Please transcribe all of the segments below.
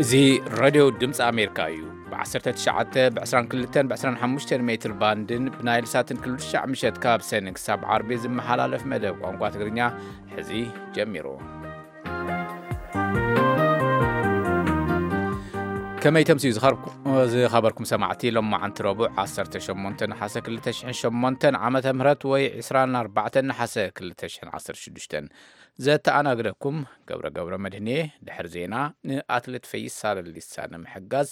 እዚ ሬድዮ ድምፂ ኣሜሪካ እዩ። ብ19፣ ብ22፣ ብ25 ሜትር ባንድን ብናይል ሳትን ኩሉ ትሽዓ ምሸት ካብ ሰኒ ክሳብ ዓርቢ ዝመሓላለፍ መደብ ቋንቋ ትግርኛ ሕዚ ጀሚሩ። ከመይ ተምስዩ ዝኸርኩ-፣ ዝኸበርኩም ሰማዕቲ፣ ሎማዓንቲ ረቡዕ ዓሰርተ ሸሞንተ ነሓሰ ክልተ ሽሕን ሸሞንተን ዓመተ ምህረት ወይ ዕስራን ኣርባዕተን ነሓሰ ክልተ ሽሕን ዓሰርተ ሽዱሽተን። ዘተኣናግደኩም ገብረ ገብረ መድህኔ። ድሕሪ ዜና ንኣትሌት ፈይሳ ለሊሳ ንምሕጋዝ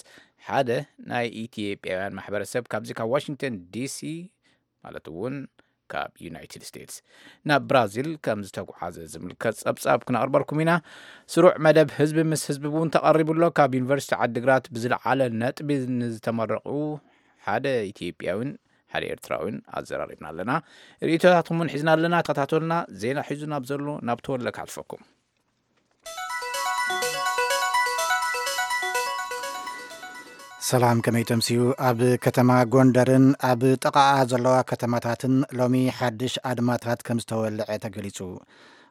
ሓደ ናይ ኢትዮጵያውያን ማሕበረሰብ ካብዚ ካብ ዋሽንግተን ዲሲ፣ ማለት እውን ካብ ዩናይትድ ስቴትስ፣ ናብ ብራዚል ከም ዝተጓዓዘ ዝምልከት ጸብጻብ ክነቕርበልኩም ኢና። ስሩዕ መደብ ህዝቢ ምስ ህዝቢ እውን ተቐሪቡ ኣሎ። ካብ ዩኒቨርሲቲ ዓዲግራት ብዝለዓለ ነጥቢ ንዝተመረቑ ሓደ ኢትዮጵያዊን ሓደ ኤርትራዊን ኣዘራሪብና ኣለና። ርእይቶታትኩም እውን ሒዝና ኣለና። ተኸታተሉና። ዜና ሒዙ ናብ ዘሎ ናብ ተወለ ክሓልፈኩም። ሰላም፣ ከመይ ተምስዩ? ኣብ ከተማ ጎንደርን ኣብ ጥቓኣ ዘለዋ ከተማታትን ሎሚ ሓድሽ ኣድማታት ከም ዝተወልዐ ተገሊጹ።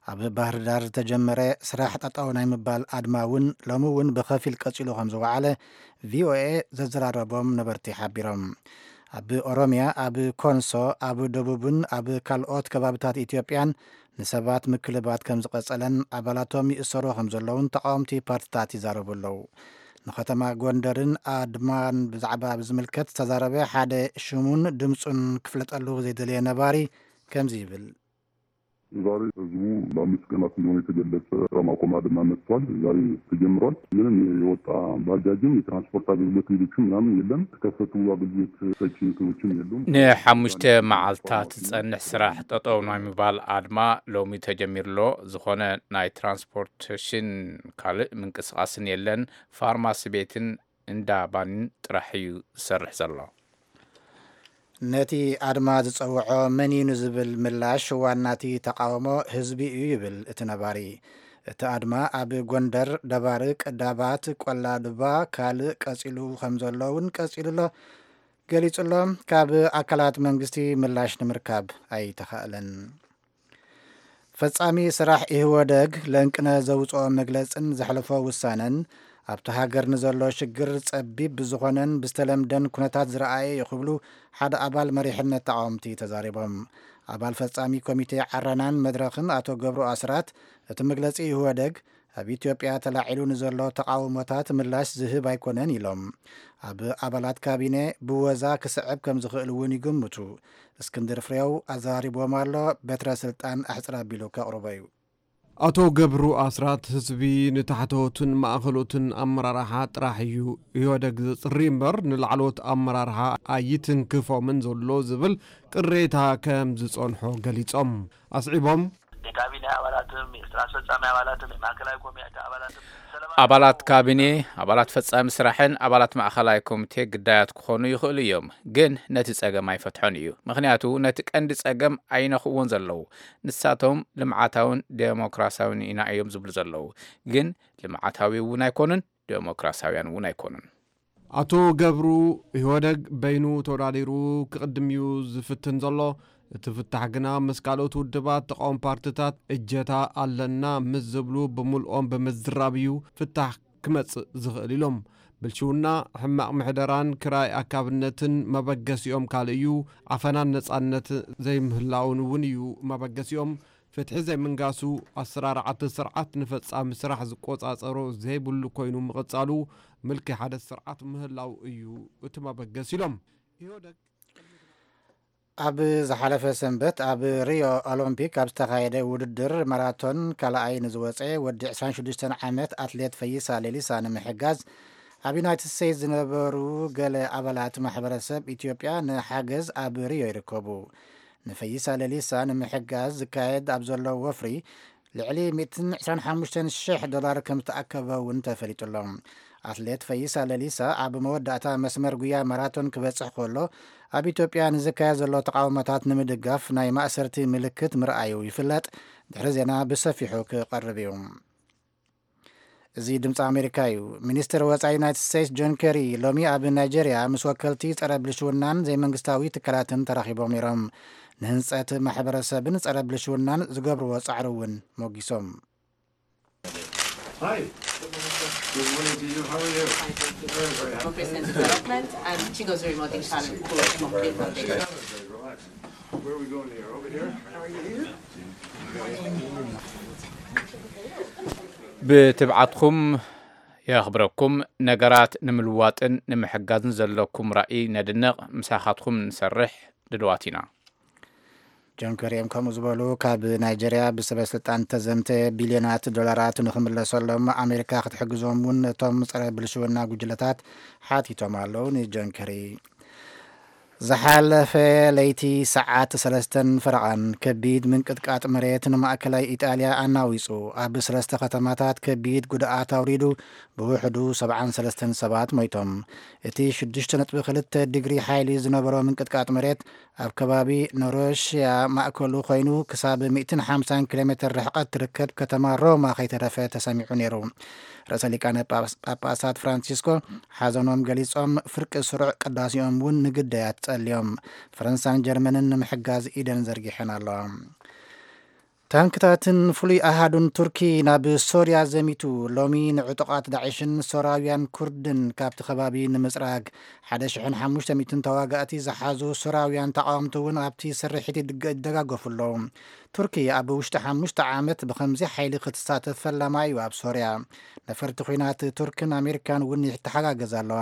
ኣብ ባህር ዳር ዝተጀመረ ስራሕ ጠጠው ናይ ምባል ኣድማ እውን ሎሚ እውን ብኸፊል ቀጺሉ ከም ዝወዓለ ቪኦኤ ዘዘራረቦም ነበርቲ ሓቢሮም። ኣብ ኦሮሚያ፣ ኣብ ኮንሶ፣ ኣብ ደቡብን ኣብ ካልኦት ከባብታት ኢትዮጵያን ንሰባት ምክልባት ከም ዝቐጸለን ኣባላቶም ይእሰሩ ከም ዘለውን ተቃወምቲ ፓርቲታት ይዛረቡ ኣለዉ። ንከተማ ጎንደርን ኣድማን ብዛዕባ ብዝምልከት ዝተዛረበ ሓደ ሽሙን ድምጹን ክፍለጠሉ ዘይደለየ ነባሪ ከምዚ ይብል። ዛሬ ህዝቡ ለአምስት ቀናት እንደሆነ የተገለጸ ስራ ማቆም አድማ መጥቷል። ዛሬ ተጀምሯል። ምንም የወጣ ባጃጅም የትራንስፖርት አገልግሎት ሌሎችም ምናምን የለም። የተከፈቱ አገልግሎት ሰጪ እንትኖችም የሉም። ንሓሙሽተ መዓልታት ዝጸንሕ ስራሕ ጠጠው ናይ ምባል ኣድማ ሎሚ ተጀሚሩ ኣሎ። ዝኾነ ናይ ትራንስፖርቴሽን ካልእ ምንቅስቃስን የለን። ፋርማሲ ቤትን እንዳ ባንን ጥራሕ እዩ ዝሰርሕ ዘሎ። ነቲ ኣድማ ዝጸውዖ መን እዩ ንዝብል ምላሽ ዋናቲ ተቃውሞ ህዝቢ እዩ ይብል እቲ ነባሪ። እቲ ኣድማ ኣብ ጎንደር፣ ደባርቅ፣ ዳባት፣ ቆላ ድባ ካልእ ቀጺሉ ከም ዘሎ እውን ቀጺሉ ኣሎ ገሊጹ ኣሎ። ካብ ኣካላት መንግስቲ ምላሽ ንምርካብ ኣይተኻእለን። ፈጻሚ ስራሕ ኢህወደግ ለንቅነ ዘውጽኦ መግለጽን ዘሕለፎ ውሳነን ኣብቲ ሃገር ንዘሎ ሽግር ጸቢብ ብዝኾነን ብዝተለምደን ኩነታት ዝረኣየ እዩ ክብሉ ሓደ ኣባል መሪሕነት ተቃወምቲ ተዛሪቦም። ኣባል ፈጻሚ ኮሚቴ ዓረናን መድረኽን ኣቶ ገብሩ ኣስራት እቲ መግለጺ ኢህወደግ ኣብ ኢትዮጵያ ተላዒሉ ንዘሎ ተቃውሞታት ምላሽ ዝህብ ኣይኮነን ኢሎም። ኣብ ኣባላት ካቢነ ብወዛ ክስዕብ ከም ዝኽእል እውን ይግምቱ። እስክንድር ፍሬው ኣዘራሪብዎም ኣሎ። በትረ ስልጣን ኣሕፅር ኣቢሉ ከቕርቦ እዩ። ኣቶ ገብሩ ኣስራት ህዝቢ ንታሕተዎትን ማእኸሎትን ኣመራርሓ ጥራሕ እዩ ኢህወደግ ዘፅሪ እምበር ንላዕለዎት ኣመራርሓ ኣይትንክፎምን ዘሎ ዝብል ቅሬታ ከም ዝፀንሖ ገሊፆም። ኣስዒቦም የካቢኔ ኣባላትም የስራ አስፈጻሚ ኣባላትም የማእከላዊ ኮሚቴ ኣባላትም ኣባላት ካቢኔ፣ ኣባላት ፈጻሚ ስራሕን ኣባላት ማእኸላይ ኮሚቴ ግዳያት ክኾኑ ይኽእሉ እዮም፣ ግን ነቲ ጸገም ኣይፈትሖን እዩ። ምኽንያቱ ነቲ ቀንዲ ጸገም ኣይነኽእዎን ዘለዉ። ንሳቶም ልምዓታውን ዴሞክራሲያውን ኢና እዮም ዝብሉ ዘለዉ፣ ግን ልምዓታዊ እውን ኣይኮኑን፣ ዴሞክራሲያውያን እውን ኣይኮኑን። ኣቶ ገብሩ፣ ኢህወደግ በይኑ ተወዳዲሩ ክቕድም እዩ ዝፍትን ዘሎ። እቲ ፍታሕ ግና ምስ ካልኦት ውድባት ተቃወም ፓርትታት እጀታ ኣለና ምስ ዝብሉ ብምልኦም ብምዝራብ እዩ ፍታሕ ክመጽእ ዝኽእል ኢሎም። ብልሽውና፣ ሕማቕ ምሕደራን ክራይ ኣካብነትን መበገሲኦም ካልእ እዩ። ዓፈናን ነጻነት ዘይምህላውን እውን እዩ መበገሲኦም። ፍትሒ ዘይምንጋሱ፣ ኣሰራርዓቲ ስርዓት ንፈጻሚ ስራሕ ዝቆጻጸሮ ዘይብሉ ኮይኑ ምቕጻሉ፣ ምልኪ ሓደ ስርዓት ምህላው እዩ እቲ መበገሲ ኢሎም። ኢህወደግ ኣብ ዝሓለፈ ሰንበት ኣብ ሪዮ ኦሎምፒክ ኣብ ዝተኻየደ ውድድር ማራቶን ካልኣይ ንዝወፀ ወዲ ዕስራን ሽዱሽተን ዓመት ኣትሌት ፈይሳ ሌሊሳ ንምሕጋዝ ኣብ ዩናይትድ ስቴትስ ዝነበሩ ገለ ኣባላት ማሕበረሰብ ኢትዮጵያ ንሓገዝ ኣብ ሪዮ ይርከቡ። ንፈይሳ ሌሊሳ ንምሕጋዝ ዝካየድ ኣብ ዘሎ ወፍሪ ልዕሊ ሚእትን ዕስራን ሓሙሽተን ሽሕ ዶላር ከም ዝተኣከበ እውን ተፈሊጡ ኣሎ። ኣትሌት ፈይሳ ለሊሳ ኣብ መወዳእታ መስመር ጉያ ማራቶን ክበጽሕ ከሎ ኣብ ኢትዮጵያ ንዝካየድ ዘሎ ተቓውሞታት ንምድጋፍ ናይ ማእሰርቲ ምልክት ምርኣዩ ይፍለጥ። ድሕሪ ዜና ብሰፊሑ ክቐርብ እዩ። እዚ ድምፂ ኣሜሪካ እዩ። ሚኒስትር ወፃኢ ዩናይትድ ስቴትስ ጆን ኬሪ ሎሚ ኣብ ናይጀርያ ምስ ወከልቲ ጸረ ብልሽውናን ዘይመንግስታዊ ትካላትን ተራኺቦም ነይሮም። ንህንፀት ማሕበረሰብን ጸረ ብልሽውናን ዝገብርዎ ጻዕሪ እውን ሞጊሶም። Good morning to you. How are you? Fine, thank you. Very, very happy. Democracy and development, and Chigo's remote in Kalim. Very relaxed. Where are we going here? Over here? ብትብዓትኩም የኽብረኩም። ነገራት ንምልዋጥን ንምሕጋዝን ዘለኩም ራእይ ነድንቕ። ምሳኻትኩም ንሰርሕ ድልዋት ኢና። ጆን ከሪ እዮም ከምኡ ዝበሉ። ካብ ናይጀርያ ብሰበ ስልጣን ተዘምተ ቢልዮናት ዶላራት ንኽምለሰሎም ኣሜሪካ ክትሕግዞም እውን ነቶም ጸረ ብልሽውና ጉጅለታት ሓቲቶም ኣለዉ። ንጆን ከሪ ዝሓለፈ ለይቲ ሰዓት ሰለስተን ፈረቓን ከቢድ ምንቅጥቃጥ መሬት ንማእከላይ ኢጣልያ ኣናዊጹ ኣብ ሰለስተ ከተማታት ከቢድ ጉድኣት ኣውሪዱ ብውሕዱ ሰብዓን ሰለስተን ሰባት ሞይቶም። እቲ ሽዱሽተ ነጥቢ ክልተ ዲግሪ ሓይሊ ዝነበሮ ምንቅጥቃጥ መሬት ኣብ ከባቢ ኖሮሽያ ማእከሉ ኮይኑ ክሳብ ሚእትን ሓምሳን ኪሎ ሜትር ርሕቀት ትርከብ ከተማ ሮማ ከይተረፈ ተሰሚዑ ነይሩ። ርእሰ ሊቃነ ጳጳሳት ፍራንሲስኮ ሓዘኖም ገሊጾም ፍርቂ ስሩዕ ቅዳሴኦም እውን ንግዳያት ጸልዮም። ፈረንሳን ጀርመንን ንምሕጋዝ ኢደን ዘርጊሐን ኣለዋ። ታንክታትን ፍሉይ ኣሃዱን ቱርኪ ናብ ሶርያ ዘሚቱ። ሎሚ ንዕጡቓት ዳዕሽን ሶርያውያን ኩርድን ካብቲ ከባቢ ንምጽራግ ሓደ ሽሕን ሓሙሽተ ሚእትን ተዋጋእቲ ዝሓዙ ሶርያውያን ተቓወምቲ እውን ኣብቲ ስርሒት ይደጋገፉ ኣለዉ። ቱርኪ ኣብ ውሽጢ ሓሙሽተ ዓመት ብኸምዚ ሓይሊ ክትሳተፍ ፈላማ እዩ ኣብ ሶርያ። ነፈርቲ ኲናት ቱርክን ኣሜሪካን እውን ይተሓጋገዛ ኣለዋ።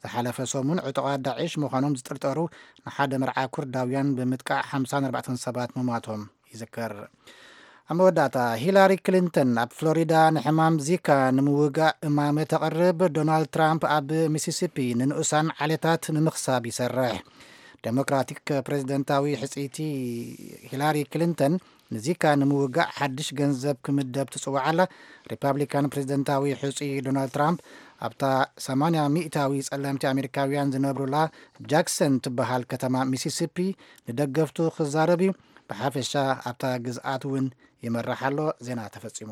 ዝሓለፈ ሰሙን ዕጡቓት ዳዕሽ ምዃኖም ዝጥርጠሩ ንሓደ መርዓ ኩርዳውያን ብምጥቃዕ ሓምሳን ኣርባዕተን ሰባት ምሟቶም ይዝከር። ኣብ መወዳእታ ሂላሪ ክሊንተን ኣብ ፍሎሪዳ ንሕማም ዚካ ንምውጋእ እማመ ተቕርብ። ዶናልድ ትራምፕ ኣብ ሚሲሲፒ ንንኡሳን ዓሌታት ንምኽሳብ ይሰርሕ። ዴሞክራቲክ ፕሬዝደንታዊ ሕፅይቲ ሂላሪ ክሊንተን ንዚካ ንምውጋእ ሓድሽ ገንዘብ ክምደብ ትፅውዕ ኣላ። ሪፓብሊካን ፕሬዝደንታዊ ሕፁይ ዶናልድ ትራምፕ ኣብታ ሰማንያ ሚእታዊ ፀለምቲ ኣሜሪካውያን ዝነብሩላ ጃክሰን ትበሃል ከተማ ሚሲሲፒ ንደገፍቱ ክዛረብ እዩ። ብሓፈሻ ኣብታ ግዝኣት እውን ይመራሕ ኣሎ። ዜና ተፈጺሙ።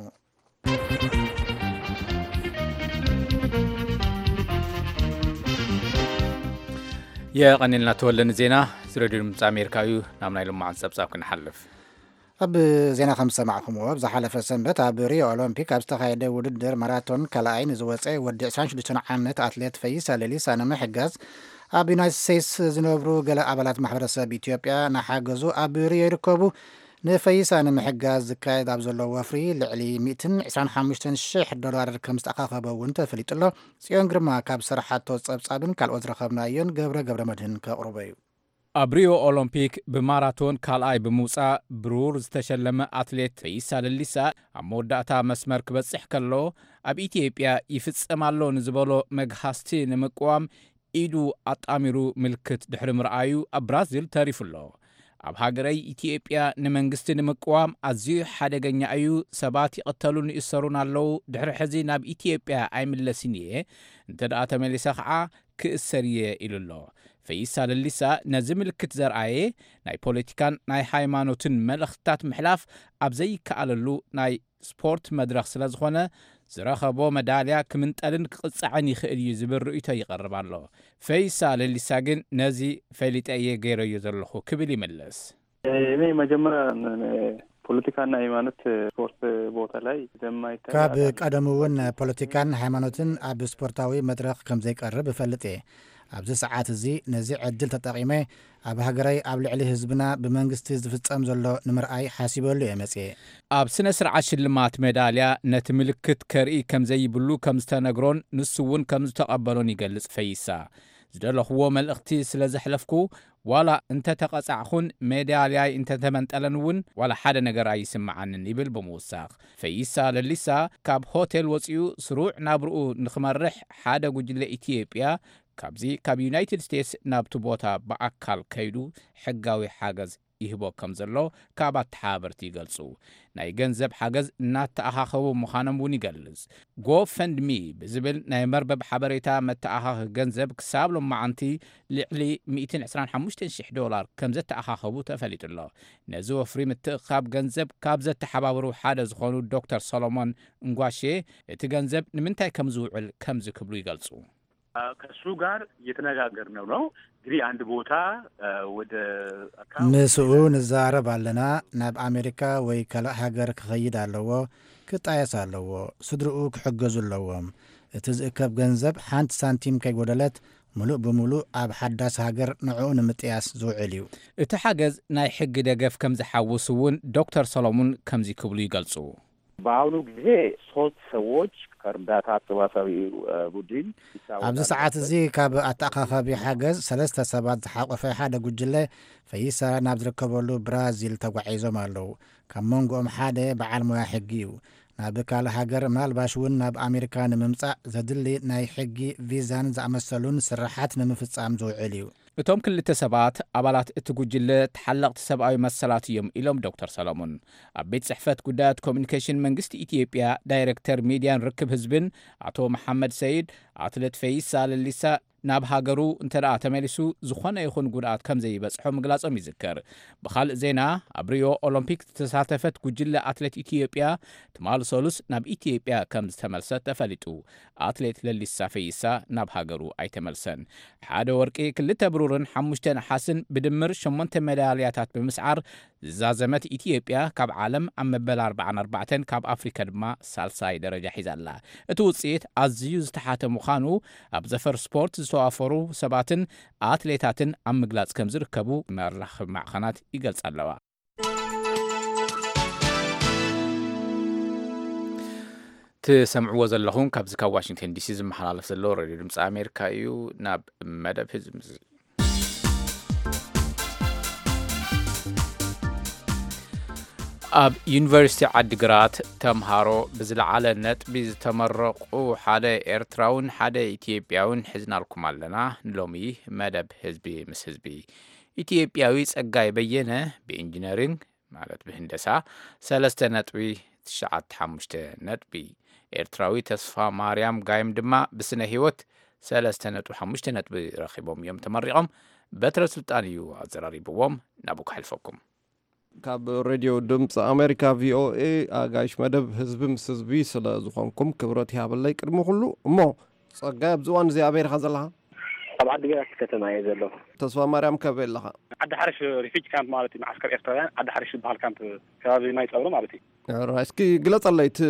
የቐኒልና ተወለ ንዜና። እዚ ሬድዮ ድምፂ ኣሜሪካ እዩ። ናብ ናይ ልማዓት ፀብፃብ ክንሓልፍ። ኣብ ዜና ከም ዝሰማዕኹምዎ፣ ኣብ ዝሓለፈ ሰንበት ኣብ ሪዮ ኦሎምፒክ ኣብ ዝተኻየደ ውድድር ማራቶን ካልኣይ ንዝወፀ ወዲ ዕስራን ሽዱሽተን ዓመት ኣትሌት ፈይሳ ሌሊሳ ንምሕጋዝ ኣብ ዩናይትድ ስቴትስ ዝነብሩ ገለ ኣባላት ማሕበረሰብ ኢትዮጵያ እናሓገዙ ኣብ ሪዮ ይርከቡ። ንፈይሳ ንምሕጋዝ ዝካየድ ኣብ ዘሎ ወፍሪ ልዕሊ ሚእትን ዕስራን ሓሙሽተን ሽሕ ዶላር ከም ዝተኣኻኸበ እውን ተፈሊጡ ኣሎ። ጽዮን ግርማ ካብ ዝሰርሓቶ ጸብጻብን ካልኦት ዝረኸብናዮን ገብረ ገብረ መድህን ከቕርቦ እዩ። ኣብ ሪዮ ኦሎምፒክ ብማራቶን ካልኣይ ብምውጻእ ብሩር ዝተሸለመ ኣትሌት ፈይሳ ለሊሳ ኣብ መወዳእታ መስመር ክበጽሕ ከሎ ኣብ ኢትዮጵያ ይፍጸም ኣሎ ንዝበሎ መግሃስቲ ንምቅዋም ኢዱ ኣጣሚሩ ምልክት ድሕሪ ምርኣዩ ኣብ ብራዚል ተሪፉ ኣሎ። ኣብ ሃገረይ ኢትዮጵያ ንመንግስቲ ንምቅዋም ኣዝዩ ሓደገኛ እዩ፣ ሰባት ይቕተሉን ይእሰሩን ኣለዉ፣ ድሕሪ ሕዚ ናብ ኢትዮጵያ ኣይምለስን እየ፣ እንተ ደኣ ተመሊሰ ኸዓ ክእሰር እየ ኢሉ ኣሎ። ፈይሳ ለሊሳ ነዚ ምልክት ዘርኣየ ናይ ፖለቲካን ናይ ሃይማኖትን መልእኽትታት ምሕላፍ ኣብ ዘይከኣለሉ ናይ ስፖርት መድረኽ ስለ ዝኾነ ዝረኸቦ መዳልያ ክምንጠልን ክቕጻዕን ይኽእል እዩ ዝብል ርእይቶ ይቐርብ ኣሎ። ፈይሳ ለሊሳ ግን ነዚ ፈሊጠ እየ ገይረዮ ዘለኹ ክብል ይምልስ። እኔ መጀመሪያ ፖለቲካና ሃይማኖት ስፖርት ቦታ ላይ እንደማይታይ ካብ ቀደሙ እውን ፖለቲካን ሃይማኖትን ኣብ ስፖርታዊ መድረኽ ከም ዘይቀርብ እፈልጥ እየ። ኣብዚ ሰዓት እዚ ነዚ ዕድል ተጠቒመ ኣብ ሃገረይ ኣብ ልዕሊ ህዝብና ብመንግስቲ ዝፍጸም ዘሎ ንምርኣይ ሓሲበሉ እየ መጽየ። ኣብ ስነ ስርዓት ሽልማት ሜዳልያ ነቲ ምልክት ከርኢ ከም ዘይብሉ ከም ዝተነግሮን ንሱ እውን ከም ዝተቐበሎን ይገልጽ ፈይሳ። ዝደለኽዎ መልእኽቲ ስለ ዘሕለፍኩ ዋላ እንተ ተቐጻዕኹን ሜዳልያይ እንተ ተመንጠለን እውን ዋላ ሓደ ነገር ኣይስምዓንን ይብል ብምውሳኽ። ፈይሳ ለሊሳ ካብ ሆቴል ወጺኡ ስሩዕ ናብርኡ ንኽመርሕ ሓደ ጉጅለ ኢትዮጵያ ካብዚ ካብ ዩናይትድ ስቴትስ ናብቲ ቦታ ብኣካል ከይዱ ሕጋዊ ሓገዝ ይህቦ ከም ዘሎ ካብ ኣተሓባበርቲ ይገልጹ። ናይ ገንዘብ ሓገዝ እናተኣኻኸቡ ምዃኖም እውን ይገልጽ። ጎፈንድሚ ብዝብል ናይ መርበብ ሓበሬታ መተኣኻኺ ገንዘብ ክሳብ ሎማዓንቲ ልዕሊ ሚእትን ዕስራን ሓሙሽተን ሽሕ ዶላር ከም ዘተኣኻኸቡ ተፈሊጡ ኣሎ። ነዚ ወፍሪ ምትእኻብ ገንዘብ ካብ ዘተሓባበሩ ሓደ ዝኾኑ ዶክተር ሰሎሞን እንጓሼ እቲ ገንዘብ ንምንታይ ከም ዝውዕል ከምዚ ክብሉ ይገልጹ። ከሱ ጋር እየተነጋገርን ነው። እንግዲህ አንድ ቦታ ወደ ምስኡ ንዛረብ ኣለና። ናብ ኣሜሪካ ወይ ካልእ ሃገር ክኸይድ ኣለዎ፣ ክጣየስ ኣለዎ፣ ስድርኡ ክሕገዙ ኣለዎም። እቲ ዝእከብ ገንዘብ ሓንቲ ሳንቲም ከይጎደለት፣ ምሉእ ብምሉእ ኣብ ሓዳስ ሃገር ንዕኡ ንምጥያስ ዝውዕል እዩ። እቲ ሓገዝ ናይ ሕጊ ደገፍ ከም ዝሓውስ እውን ዶክተር ሰሎሙን ከምዚ ክብሉ ይገልጹ። በአሁኑ ጊዜ ሶስት ሰዎች ከእርዳታ አሰባሳቢ ቡድን ይታወቃሉ። ኣብዚ ሰዓት እዚ ካብ ኣተኣኻኻቢ ሓገዝ ሰለስተ ሰባት ዝሓቆፈ ሓደ ጉጅለ ፈይሳ ናብ ዝርከበሉ ብራዚል ተጓዒዞም ኣለዉ። ካብ መንጎኦም ሓደ በዓል ሞያ ሕጊ እዩ። ናብ ካልእ ሃገር፣ ምናልባሽ እውን ናብ ኣሜሪካ ንምምጻእ ዘድሊ ናይ ሕጊ ቪዛን ዝኣመሰሉን ስራሓት ንምፍጻም ዝውዕል እዩ። እቶም ክልተ ሰባት ኣባላት እቲ ጉጅለ ተሓለቕቲ ሰብኣዊ መሰላት እዮም ኢሎም ዶክተር ሰሎሙን። ኣብ ቤት ጽሕፈት ጉዳያት ኮሚኒኬሽን መንግስቲ ኢትዮጵያ ዳይሬክተር ሚድያን ርክብ ህዝብን ኣቶ መሓመድ ሰይድ፣ ኣትሌት ፈይሳ ለሊሳ ናብ ሃገሩ እንተ ደኣ ተመሊሱ ዝኾነ ይኹን ጉድኣት ከም ዘይበጽሖ ምግላጾም ይዝከር። ብኻልእ ዜና፣ ኣብ ሪዮ ኦሎምፒክ ዝተሳተፈት ጉጅለ ኣትሌት ኢትዮጵያ ትማሊ ሰሉስ ናብ ኢትዮጵያ ከም ዝተመልሰት ተፈሊጡ። ኣትሌት ለሊሳ ፈይሳ ናብ ሃገሩ ኣይተመልሰን። ሓደ ወርቂ፣ ክልተ ብሩርን ሓሙሽተ ነሓስን ብድምር ሸሞንተ ሜዳልያታት ብምስዓር ዝዛዘመት ኢትዮጵያ ካብ ዓለም ኣብ መበል ኣርባዓን ኣርባዕተን ካብ ኣፍሪካ ድማ ሳልሳይ ደረጃ ሒዛ ኣላ። እቲ ውፅኢት ኣዝዩ ዝተሓተ ምዃኑ ኣብ ዘፈር ስፖርት ዝተዋፈሩ ሰባትን ኣትሌታትን ኣብ ምግላፅ ከም ዝርከቡ መራኸቢ ማዕኸናት ይገልጻ ኣለዋ። ትሰምዕዎ ዘለኹም ካብዚ ካብ ዋሽንግተን ዲሲ ዝመሓላለፍ ዘሎ ሬድዮ ድምፂ ኣሜሪካ እዩ። ናብ መደብ ህዝቢ ምስ ኣብ ዩኒቨርሲቲ ዓዲግራት ተምሃሮ ብዝለዓለ ነጥቢ ዝተመረቑ ሓደ ኤርትራውን ሓደ ኢትዮጵያውን ሒዝናልኩም ኣለና። ንሎሚ መደብ ህዝቢ ምስ ህዝቢ። ኢትዮጵያዊ ጸጋይ በየነ ብኢንጂነሪንግ፣ ማለት ብህንደሳ፣ ሰለስተ ነጥቢ ትሽዓተ ሓሙሽተ ነጥቢ፣ ኤርትራዊ ተስፋ ማርያም ጋይም ድማ ብስነ ህይወት ሰለስተ ነጥቢ ሓሙሽተ ነጥቢ ረኺቦም እዮም ተመሪቖም። በትረ ስልጣን እዩ ኣዘራሪብዎም። ናብኡ ከሕልፈኩም። ካብ ሬድዮ ድምፂ ኣሜሪካ ቪኦኤ ኣጋይሽ መደብ ህዝቢ ምስ ህዝቢ ስለ ዝኾንኩም ክብረት ይሃበለይ ቅድሚ ኩሉ። እሞ ጸጋይ፣ ኣብዚ እዋን እዚ ኣበይ ኢኻ ዘለኻ? ኣብ ዓዲግራት ከተማ እየ ዘለኹ። ተስፋ ማርያም ከበይ ኣለኻ? ዓዲ ሓርሽ ሪፊጅ ካምፕ ማለት እዩ፣ መዓስከር ኤርትራውያን ዓዲ ሓርሽ ዝበሃል ካምፕ ከባቢ ማይ ጸብሪ ማለት እዩ። ራይ፣ እስኪ ግለጸለይ፣ እቲ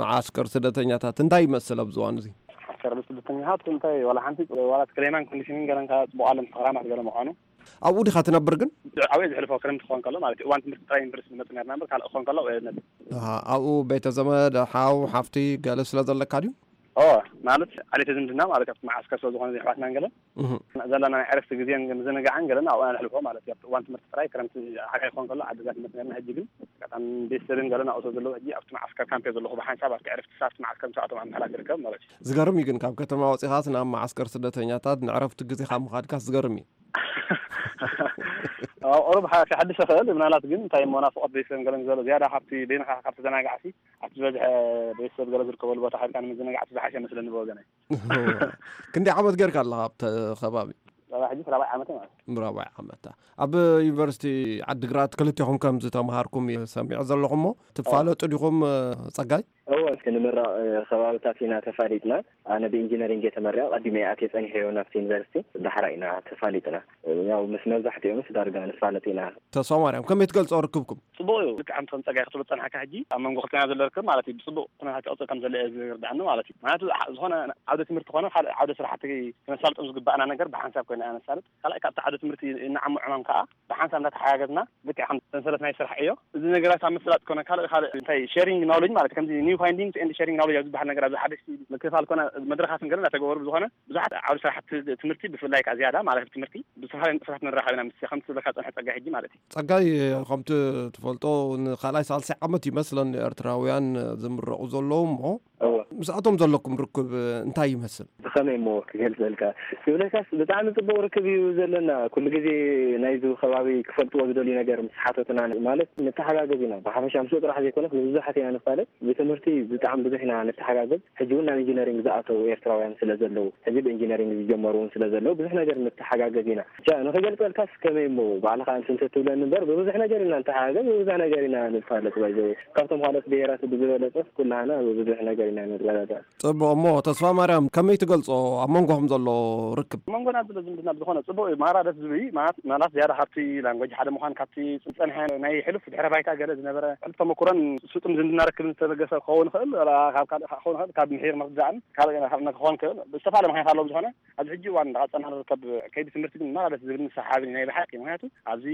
መዓስከር ስደተኛታት እንታይ ይመስል ኣብዚ እዋን እዚ? መዓስከር ስደተኛታት እንታይ ዋላ ሓንቲ ዋላ ክሌማን ኮንዲሽንን ገረንካ ጽቡቕ ኣለም ተኸራማት ገለ ምዃኑ። ኣብኡ ዲኻ ትነብር ግን? ኣብኡ እየ ዝሕልፎ፣ ክረምቲ ክኾን ከሎ ማለት እዩ። እዋን ትምህርቲ ጥራይ ዩኒቨርሲቲ ንመጽእ ነርና እምበር፣ ካልእ ክኾን ከሎ ኣብኡ እየ ዝነብር። ኣሃ፣ ኣብኡ ቤተ ዘመድ፣ ሓው፣ ሓፍቲ ገለ ስለ ዘለካ ድዩ? ኦ፣ ማለት ዓሌተ ዝምድና ማለት ኣብቲ መዓስከር ስለ ዝኾነ፣ ኣሕዋትናን ገለን እህ። ዘለና ናይ ዕረፍቲ ግዜን ምዝንጋዕን ገለን ኣብኡ ነሕልፎ ማለት እዩ። ኣብቲ እዋን ትምህርቲ ጥራይ፣ ክረምቲ ሓጋይ ክኾን ከሎ ዓዲ ገዛ ንመጽእ ነርና። ሕጂ ግን ኣጋጣሚ ቤተሰብን ገለን ኣብኡ ስለ ዘለዉ፣ ሕጂ ኣብቲ መዓስከር ካምፕ እየ ዘለኹ። ብሓንሳብ ኣብቲ ዕረፍቲ ሰዓት መዓስከር ምስ ኣተዎም ኣብ ምሕላፍ ይርከብ ማለት እዩ። ዝገርም እዩ ግን፣ ካብ ከተማ ወጺኻስ ናብ መዓስከር ስደተኛታት ንዕረፍቲ ግዜኻ ምኻድካስ ዝገርም እዩ። ኣብ ቁሩብ ሓ-፣ ክሕድስ ይኽእል። ምናልባት ግን እንታይ እሞ ናፍቖት ቤተሰብን ገለን ዝበሎ ዝያዳ ካብቲ በይንኻ ካብ ተዘናጋዕሲ ኣብቲ ዝበዝሐ ቤተሰብ ገለ ዝርከበሉ ቦታ ኸድካ ንምዝንጋዕ እቲ ዝሓሸ መስለኒ ብወገነይ። ክንደይ ዓመት ጌርካ ኣለኻ ኣብቲ ከባቢ? ጸባ ሕጂ ራብዓይ ዓመት ማለት እዩ። ራብዓይ ዓመት። ኣብ ዩኒቨርሲቲ ዓዲግራት ክልቴኹም ከም ዝተምሃርኩም እየ ሰሚዐ ዘለኹ እሞ፣ ትፋለጡ ዲኹም፣ ጸጋይ? እወ፣ እስኪ ንምራቕ፣ እ፣ ከባብታት ኢና ተፋሊጥና። ኣነ ብኢንጂነሪንግ እየ ተመሪቐ፣ ቀዲመ እየ ኣትየ ጸኒሐዮ ናብቲ ዩኒቨርሲቲ። ዳሕራ ኢና ተፋሊጥና። ያው ምስ መብዛሕትኦም ምስ ዳርጋ ንፋለጥ ኢና። ተስፋ ማርያም፣ ከመይ ትገልጾ ርክብኩም? ጽቡቕ እዩ። ልክዕ ከምቲ ከም ጸጋይ ክትብሎ ዝጸናሕካ ሕጂ ኣብ መንጎ ክልቴና ዘሎ ርክብ ማለት እዩ፣ ብጽቡቕ ኩነታት ይቕጽል ከም ዘሎ እየ ዝርድኣኒ ማለት እዩ። ምኽንያቱ ዓ-፣ ዝኾነ ዓውደ ትምህርቲ ኮነ ካልእ ዓውደ ስራሕቲ ክነሳልጦም ዝግባኣና ነገር ብሓንሳብ ኮይና ኢና ነሳልጥ። ካልኣይ ካብቲ ዓውደ ትምህርቲ እንዓሞ ዕማም ከኣ ብሓንሳብ እንዳተሓጋገዝና ልክዕ ከም ሰንሰለት ናይ ስራሕ ዕዮ እዚ ነገራት ኣብ ምስላጥ ኮነ ካልእ ካልእ እንታይ ሼሪንግ ናውሌጅ ማለት ከምዚ ኒው ፋይንዲንግስ ኤንድ ሼሪንግ ናውሌጅ ኣብ ዝበሃል ነገር ኣብዚ ሓደሽቲ ምክፍፋል ኮነ መድረኻትን ገለ እንዳተገበሩ ብዝኾነ ብዙሓት ዓውዲ ስራሕቲ ትምህርቲ ብፍላይ ከኣ ዝያዳ ማለት ትምህርቲ ብዝተፈላለዩ ንጥፈታት ንራኸብ ኢና ምስ ከምቲ ዝበልካ ዝጸንሐ ጸጋይ ሕጂ ማለት እዩ። ጸጋይ፣ ከምቲ ትፈልጦ ንኻልኣይ ሳልሳይ ዓመት ይመስለኒ ኤርትራውያን ዝምረቑ ዘለዉ እሞ እወ። ምስኣቶም ዘለኩም ርክብ እንታይ ይመስል? ብኸመይ እሞ ክገልጸልካ? ክብለካስ ብጣዕሚ ጽቡቕ ርክብ እዩ ዘለና። ኩሉ ግዜ ናይዚ ከባቢ ክፈልጥዎ ዝደልዩ ነገር ምስ ሓተቱና ማለት ንተሓጋገዝ ኢና። ብሓፈሻ ምስኡ ጥራሕ ዘይኮነስ ንብዙሓት ኢና ንፋለጥ። ብትምህርቲ ብጣዕሚ ብዙሕ ኢና ንተሓጋገዝ። ሕጂ እውን ናብ ኢንጂነሪንግ ዝኣተዉ ኤርትራውያን ስለ ዘለዉ፣ ሕጂ ብኢንጂነሪንግ ዝጀመሩ እውን ስለ ዘለዉ ብዙሕ ነገር ንተሓጋገዝ ኢና። ብቻ ንኽገልጸልካስ ከመይ እሞ ባዕልኻ እንትን ተትብለኒ እምበር ብብዙሕ ነገር ኢና ንተሓጋገዝ፣ ብብዙሕ ነገር ኢና ንፋለጥ። ባይዘወይ ካብቶም ካልኦት ብሄራት ብዝበለጸ ኩላህና ብብዙሕ ነገር ኢና ንር ጽቡቕ። እሞ ተስፋ ማርያም፣ ከመይ ትገልጾ ኣብ መንጎኹም ዘሎ ርክብ? ኣብ መንጎና ዘሎ ዝምድና ብዝኾነ ጽቡቕ እዩ። ማራ ደስ ዝብል እዩ። ማለት ዝያዳ ካብቲ ላንጎጅ ሓደ ምዃን፣ ካብቲ ዝጸንሐ ናይ ሕሉፍ ድሕረ ባይታ ገለ ዝነበረ ሕሉፍ ተመኩሮን ስጡም ዝምድና ርክብን ዝተበገሰ ክኸውን ይኽእል፣ ወላ ካብ ካልእ ክኸውን ይኽእል፣ ካብ ምሒር ምርዳእን ካልእ ክኸውን ይኽእል፣ ብዝተፈላለየ ምኽንያት ኣለዎ። ብዝኾነ ኣብዚ ሕጂ እዋን እንዳቐጸልና ንርከብ ከይዲ ትምህርቲ ግን ማራ ደስ ዝብል ንሰሓብን ናይ ብሓቂ። ምኽንያቱ ኣብዚ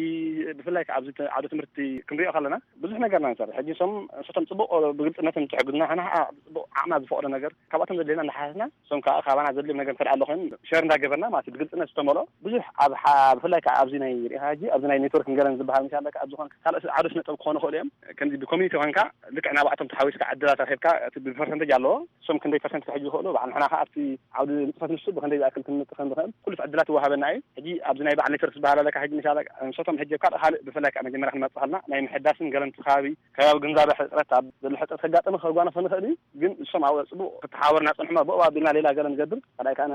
ብፍላይ ከኣ ኣብዚ ተ-፣ ዓውደ ትምህርቲ ክንሪኦ ከለና ብዙሕ ነገርና ንሰርሕ። ሕጂ ንሶም ንሶም ጽቡቕ ብግልጽነት እንትሕግዙና፣ ንሕና ኸዓ ብጽቡቕ ዓቕምና ዝፈቕዶ ነገር ካብኣቶም ዘድልየና እንዳሓተትና፣ ንሶም ከኣ ካባና ዘድልዮም ነገር እንተ ኣሎ ኮይኑ ሸር እንዳገበርና ማለት እዩ፣ ብግልጽነት ዝተመልኦ ብዙሕ ኣብ ሓ-፣ ብፍላይ ከኣ ኣብዚ ናይ ርኢኻ ሕጂ ኣብዚ ናይ ኔትወርክ ንገረን ዝበሃል ምሻለካ ኣብ ዝኾነ ካልእ ዓውደ ስነ ጥበብ ክኾኑ ይኽእሉ እዮም። ከምዚ ብኮሚኒቲ ኮንካ ልክዕ ናባዕቶም ተሓዊስካ ዕድላት ረኺብካ እቲ ብፐርሰንቴጅ ኣለዎ። እሶም ክንደይ ፐርሰንት ክሕጁ ይኽእሉ፣ ባዕ ንሕና ኸዓ ኣብቲ ዓውዲ ንጥፈት ንሱ ብኽንደይ ዝኣክል ክንመጽእ ከም ንኽእል ኩሉ ዕድላት ይወሃበና እዩ። ሕጂ ኣብዚ ናይ በዓል ኔትወርክ ዝበሃል ኣለካ፣ ሕጂ ምሻለ ንሶቶም ሕጂ ኣብ ካልእ ካልእ ብፍላይ ከዓ መጀመርያ ክንመጽእ ከለና ናይ ምሕዳስን ገለንቲ ከባቢ ከባቢ ግንዛበ ሕጽረት ኣብ ዘሎ ሕጽረት ከጋጥም ከጓነፍ ንኽእል እዩ። ግን እሶም ኣብ ጽቡቕ ክተሓባበሩና ጸንሑማ ብኡ ኣቢልና ሌላ ገለ ንገብር ካልኣይ ከዓ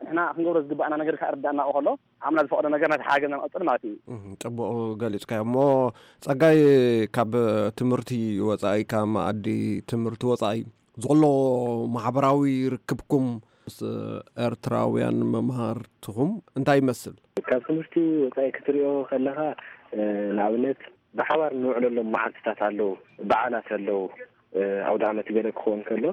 ንሕና ክንገብሮ ዝግባኣና ነገር ከዓ ርዳእና ከሎ ዓምና ዝፈቕዶ ነገር ነቲ ሓገዝ ንቐጽል ማለት እዩ። እህ፣ ጽቡቕ ገሊጽካዮ። እሞ ጸጋይ፣ ካብ ትምህርቲ ወጻኢ፣ ካብ መኣዲ ትምህርቲ ወጻኢ፣ ዘሎ ማሕበራዊ ርክብኩም ምስ ኤርትራውያን መምሃርትኹም እንታይ ይመስል? ካብ ትምህርቲ ወጻኢ ክትሪኦ ከለኻ፣ እ፣ ንኣብነት ብሓባር ንውዕለሎም መዓልትታት ኣለዉ፣ በዓላት ኣለዉ፣ እ፣ ኣውደ ዓመት ገለ ክኸውን ከሎ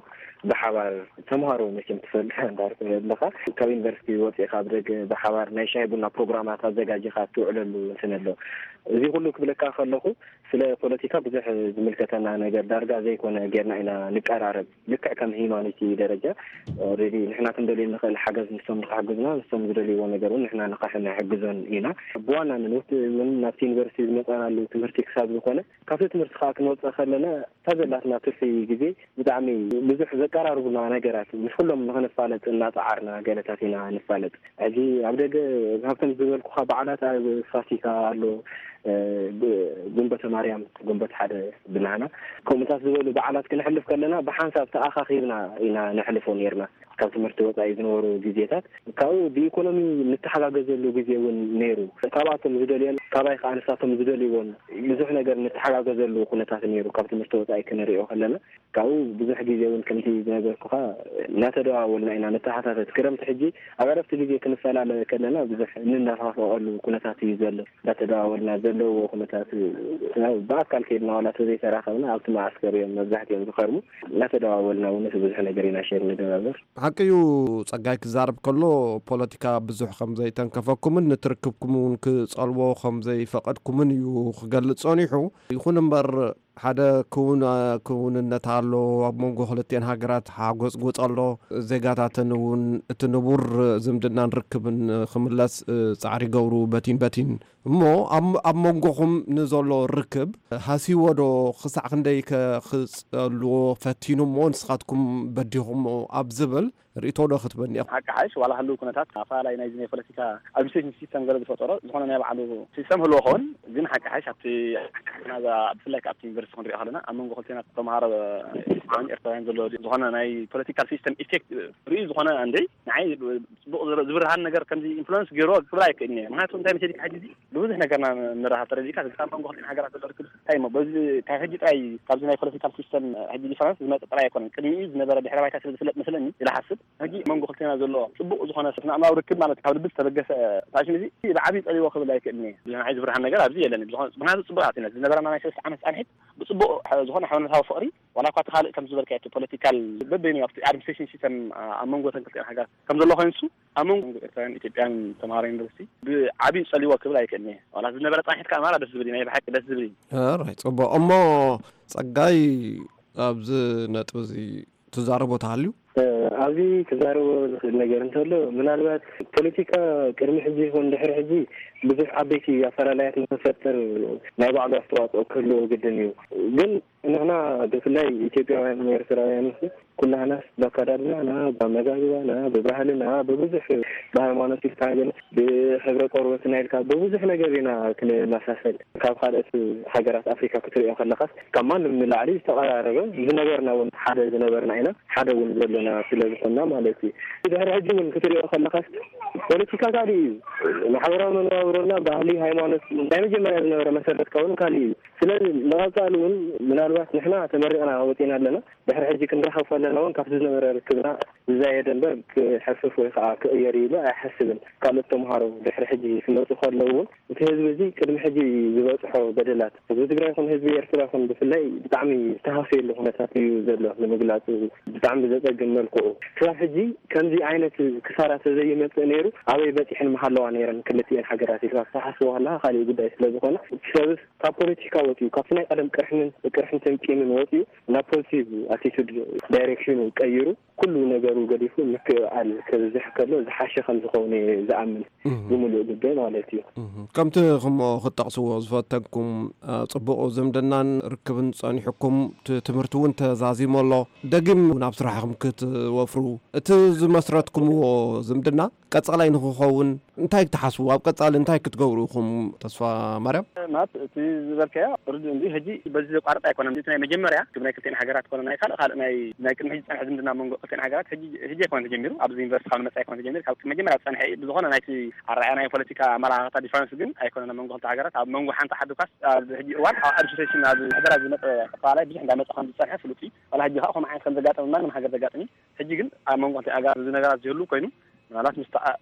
ብሓባር ተምሃሮ መቸም ትፈልጥ እንዳልኩ ኣለኻ። ካብ ዩኒቨርሲቲ ወጺእኻ ኣብ ደገ ብሓባር ናይ ሻሂ ቡና ፕሮግራማት ኣዘጋጂኻ ትውዕለሉ እንትን ኣሎ። እዚ ኩሉ ክብለካ ከለኹ ስለ ፖለቲካ ብዙሕ ዝምልከተና ነገር ዳርጋ ዘይኮነ ጌርና ኢና ንቀራረብ። ልክዕ ከም ሂማኒቲ ደረጃ ኦልሬዲ ንሕና ክንደልዮ ንኽእል ሓገዝ ንሶም ንክሕግዙና፣ ንሶም ዝደልይዎ ነገር እውን ንሕና ንኽሕግዞን ኢና። ብዋናነት እውን ናብቲ ዩኒቨርሲቲ ዝመጻናሉ ትምህርቲ ክሳብ ዝኾነ ካብቲ ትምህርቲ ከዓ ክንወፅእ ከለና እታ ዘላትና ትርፊ ግዜ ብጣዕሚ ብዙሕ ዘቀራርቡና ነገራት ምስ ኩሎም ንክንፋለጥ እናፀዓርና ገለታት ኢና ንፋለጥ። ሕጂ ኣብ ደገ ካብቶም ዝበልኩኻ በዓላት ኣብ ፋሲካ ኣሎ፣ እ፣ ግ-፣ ግንቦተ ማርያም፣ ግንቦት ሓደ ብናህና ከምኡታት ዝበሉ በዓላት ክነሕልፍ ከለና ብሓንሳብ ተኣኻኺብና ኢና ነሕልፎ ነይርና። ካብ ትምህርቲ ወጻኢ ዝነበሩ ግዜታት ካብኡ ብኢኮኖሚ ንተሓጋገዘሉ ግዜ እውን ነይሩ። ካብኣቶም ዝደልዮን ካባይ ከዓ ንሳቶም ዝደልይዎን ብዙሕ ነገር ንተሓጋገዘሉ ኩነታት ነይሩ። ካብ ትምህርቲ ወጻኢ ክንሪኦ ከለና ካብኡ ብዙሕ ግዜ እውን ከምቲ ዝነገርኩኻ እናተደዋወልና ኢና ንተሓታተት። ክረምቲ ሕጂ ኣብ ዕረፍቲ ግዜ ክንፈላለ ከለና ብዙሕ እንናፋፈቐሉ ኩነታት እዩ ዘሎ። እናተደዋወልና ዘለዎ ኩነታት ያው ብኣካል ከይድና ዋላ ተዘይተራኸብና ኣብቲ መዓስከር እዮም መብዛሕትኦም ዝኸርሙ። እናተደዋወልና እውን ብዙሕ ነገር ኢና ሼር ንገባበር። ሓቂ እዩ፣ ጸጋይ ክዛረብ ከሎ ፖለቲካ ብዙሕ ከም ዘይተንከፈኩምን ንትርክብኩም እውን ክጸልዎ ከም ዘይፈቐድኩምን እዩ ክገልጽ ጸኒሑ። ይኹን እምበር ሓደ ክውን-፣ ክውንነት ኣሎ ኣብ መንጎ ክልቲኤን ሃገራት፣ ሓጎጽጎጽ ኣሎ። ዜጋታተን እውን እቲ ንቡር ዝምድናን ርክብን ክምለስ ጻዕሪ ይገብሩ በቲን በቲን። እሞ ኣብ፣ ኣብ መንጎኹም ንዘሎ ርክብ ሃሲዎ ዶ? ክሳዕ ክንደይ ከ ክጸልዎ ፈቲኑ እሞ ንስኻትኩም በዲኹሞ ኣብ ዝብል ርእይቶ ዶ ክትበኒ ኢኹም? ሓቂ ሓይሽ ዋላ ህልው ኩነታት ኣፈላላይ ናይዚ ናይ ፖለቲካ ኣድሚኒስትሬሽን ሲስተም ገለ ዝፈጠሮ ዝኾነ ናይ ባዕሉ ሲስተም ህልዎ ኸውን፣ ግን ሓቂ ሓይሽ ኣብቲ ናዛ ብፍላይ ኣብቲ ዩኒቨርሲቲ ክንሪኦ ከለና ኣብ መንጎ ክልቴና ተምሃሮ ኤርትራውያን ኤርትራውያን ዘሎ ዝኾነ ናይ ፖለቲካል ሲስተም ኢፌክት ርኢ ዝኾነ እንደ ንዓይ ጽቡቕ ዝብርሃን ነገር ከምዚ ኢንፍሉወንስ ገይርዎ ክብል ኣይክእልን እየ። ምክንያቱ እንታይ መሲልካ ሕጂ እዚ ብብዙሕ ነገርና ንራኸብ ተረዲእካ፣ እዚ ካብ መንጎ ክልቲኤን ሃገራት ዘሎ ርክብ እንታይ እሞ በዚ ካብ ሕጂ ጥራይ ካብዚ ናይ ፖለቲካል ሲስተም ሕጂ ዲፈረንስ ዝመጽእ ጥራይ ኣይኮነን። ቅድሚኡ ዝነበረ ድሕረ ባይታ ስለ ዝፍለጥ መስለኒ ኢለ ሓስብ። ሕጂ መንጎ ክልቴና ዘሎ ጽቡቕ ዝኾነ ስነ ኣእምራዊ ርክብ ማለት ካብ ልቢ ዝተበገሰ ፋሽን እዚ ብዓቢ ጸልዎ ክብል ኣይክእልን እየ። ንዓይ ዝብርሃን ነገር ኣብዚ የለን። ዝኾነ ምክንያቱ ጽቡቕ ኣቲና ዝነበረና ናይ ሰለስተ ዓመት ጻንሒት ብጽቡቕ ዝኾነ ሓበነታዊ ፍቕሪ ዋላ እኳ እቲ ካልእ ከም ዝበልካዮ እቲ ፖለቲካል በበይኑ ኣብቲ ኣድሚኒስትሬሽን ሲስተም ኣብ መንጎ ተን ክልቲኤን ሃገራት ከም ዘሎ ኮይኑ እሱ ኣብ መንጎ ኤርትራውያን ኢትዮጵያን ተምሃሮ ዩኒቨርሲቲ ብዓብዩ ጸሊዎ ክብል ኣይክእልን እየ። ዋላ ዝነበረ ጻንሒት ከኣ ማራ ደስ ዝብል እዩ፣ ናይ ብሓቂ ደስ ዝብል እዩ። ኣራይ፣ ጽቡቕ። እሞ ጸጋይ፣ ኣብዚ ነጥቢ እዚ ትዛረቦ ተሃልዩ? እ፣ ኣብዚ ክዛረቦ ዝኽእል ነገር እንተሎ፣ ምናልባት ፖለቲካ ቅድሚ ሕጂ ይኹን ድሕሪ ሕጂ ብዙሕ ዓበይቲ ኣፈላላያት ንክፈጥር ናይ ባዕሉ ኣስተዋጽኦ ክህልዎ ግድን እዩ። ግን ንሕና ብፍላይ ኢትዮጵያውያን ኤርትራውያን ኩላህናስ ብኣከዳድናና፣ ብኣመጋግባና፣ ብባህልና፣ ብብዙሕ ብሃይማኖት ኢልካ ግን ብሕብረ ቆርበትና ኢልካ ብብዙሕ ነገር ኢና ክንመሳሰል። ካብ ካልኦት ሃገራት ኣፍሪካ ክትሪኦ ከለኻስ ካብ ማንም ንላዕሊ ዝተቐራረበ ዝነበርና እውን ሓደ ዝነበርና ኢና፣ ሓደ እውን ዘለና ስለ ዝኾንና ማለት እዩ። ድሕሪ ሕጂ እውን ክትሪኦ ከለኻስ ፖለቲካ ካልእ እዩ። ማሕበራዊ መነባብሮና፣ ባህሊ፣ ሃይማኖት ናይ መጀመርያ ዝነበረ መሰረትካ እውን ካልእ እዩ። ስለዚ ንቐፃሊ እውን ምናልባት ንሕና ተመሪቕና ወፂና ኣለና። ድሕሪ ሕጂ ክንራኸብ ከለና እውን ካብቲ ዝነበረ ርክብና ዝዛየደ እምበር ክሕፍፍ ወይ ከዓ ክቕየር ኢሉ ኣይሓስብን። ካልኦት ተምሃሮ ድሕሪ ሕጂ ክመፁ ከለዉ እውን እቲ ህዝቢ እዚ ቅድሚ ሕጂ ዝበፅሖ በደላት ህዝቢ ትግራይ ይኹን ህዝቢ ኤርትራ ይኹን ብፍላይ ብጣዕሚ ዝተሃሰየሉ ኩነታት እዩ ዘሎ ንምግላፁ ብጣዕሚ ብዘፀግም መልክዑ። ክሳብ ሕጂ ከምዚ ዓይነት ክሳራ ተዘይመፅእ ነይሩ ኣበይ በፂሕን ምሃለዋ ነይረን ክልቲኤን ሃገራት ኢልካ ክትሓስቦ ከለካ ካሊእ ጉዳይ ስለዝኾነ እቲ ሰብስ ካብ ፖለቲካ ወፂኡ ካብቲ ናይ ቀደም ቅርሕንን ቅርሕንትን ቂምን ወፂኡ ናብ ፖዚቲቭ ኣቲቱድ ዳይሬክሽኑ ቀይሩ ኩሉ ነገሩ ገዲፉ ምክእኣል ከብዝሕ ከሎ ዝሓሸ ከም ዝኸውን እየ ዝኣምን። ብምሉእ ልበይ ማለት እዩ። ከምቲ ክምኦ ክጠቕስዎ ዝፈተንኩም፣ ጽቡቕ ዝምድናን ርክብን ጸኒሑኩም፣ እቲ ትምህርቲ እውን ተዛዚሙ ኣሎ። ደጊም ናብ ስራሕኹም ክትወፍሩ፣ እቲ ዝመስረትኩምዎ ዝምድና ቀጻላይ ንኽኸውን እንታይ ትሓስቡ? ኣብ ቀጻሊ እንታይ ክትገብሩ ኢኹም? ተስፋ ማርያም። ማለት እቲ ዝበልካዮ ርዱእ እንዲ ሕጂ በዚ ዘቋርጥ ኣይኮነን። እቲ ናይ መጀመርያ ክብ ናይ ክልቲኤን ሃገራት ኮነ ናይ ካልእ ካልእ ናይ ናይ ቅድሚ ሕጂ ዝጸንሐ ዝምድና መንጎ ክልቲኤን ሃገራት ሕጂ ሕጂ ኣይኮነን ተጀሚሩ። ኣብዚ ዩኒቨርሲቲ ካብ ንመጽእ ኣይኮነን ተጀሚሩ። ካብ መጀመርያ ዝጸንሐ እዩ። ብዝኾነ ናይቲ ኣረኣእያ ናይ ፖለቲካ ኣመላኻኽታ ዲፈረንስ ግን ኣይኮነን ኣብ መንጎ ክልተ ሃገራት። ኣብ መንጎ ሓንቲ ዓዲ ኳስ ኣብ ሕጂ እዋን ኣብ ኣድሚኒስትሬሽን ኣብ ምሕደራ ዝመጸ ኣፈላላይ ብዙሕ እንዳመጸ ከም ዝጸንሐ ፍሉጥ እዩ። ዋላ ሕጂ ከዓ ከምኡ ዓይነት ከም ዘጋጠመ ማንም ሃገር ዘጋጥም እዩ። ሕጂ ግን ኣብ መንጎ ክልቲኤን ሃገራት እዚ ነገራት ዝህሉ ኮይኑ ምናልባት ምስ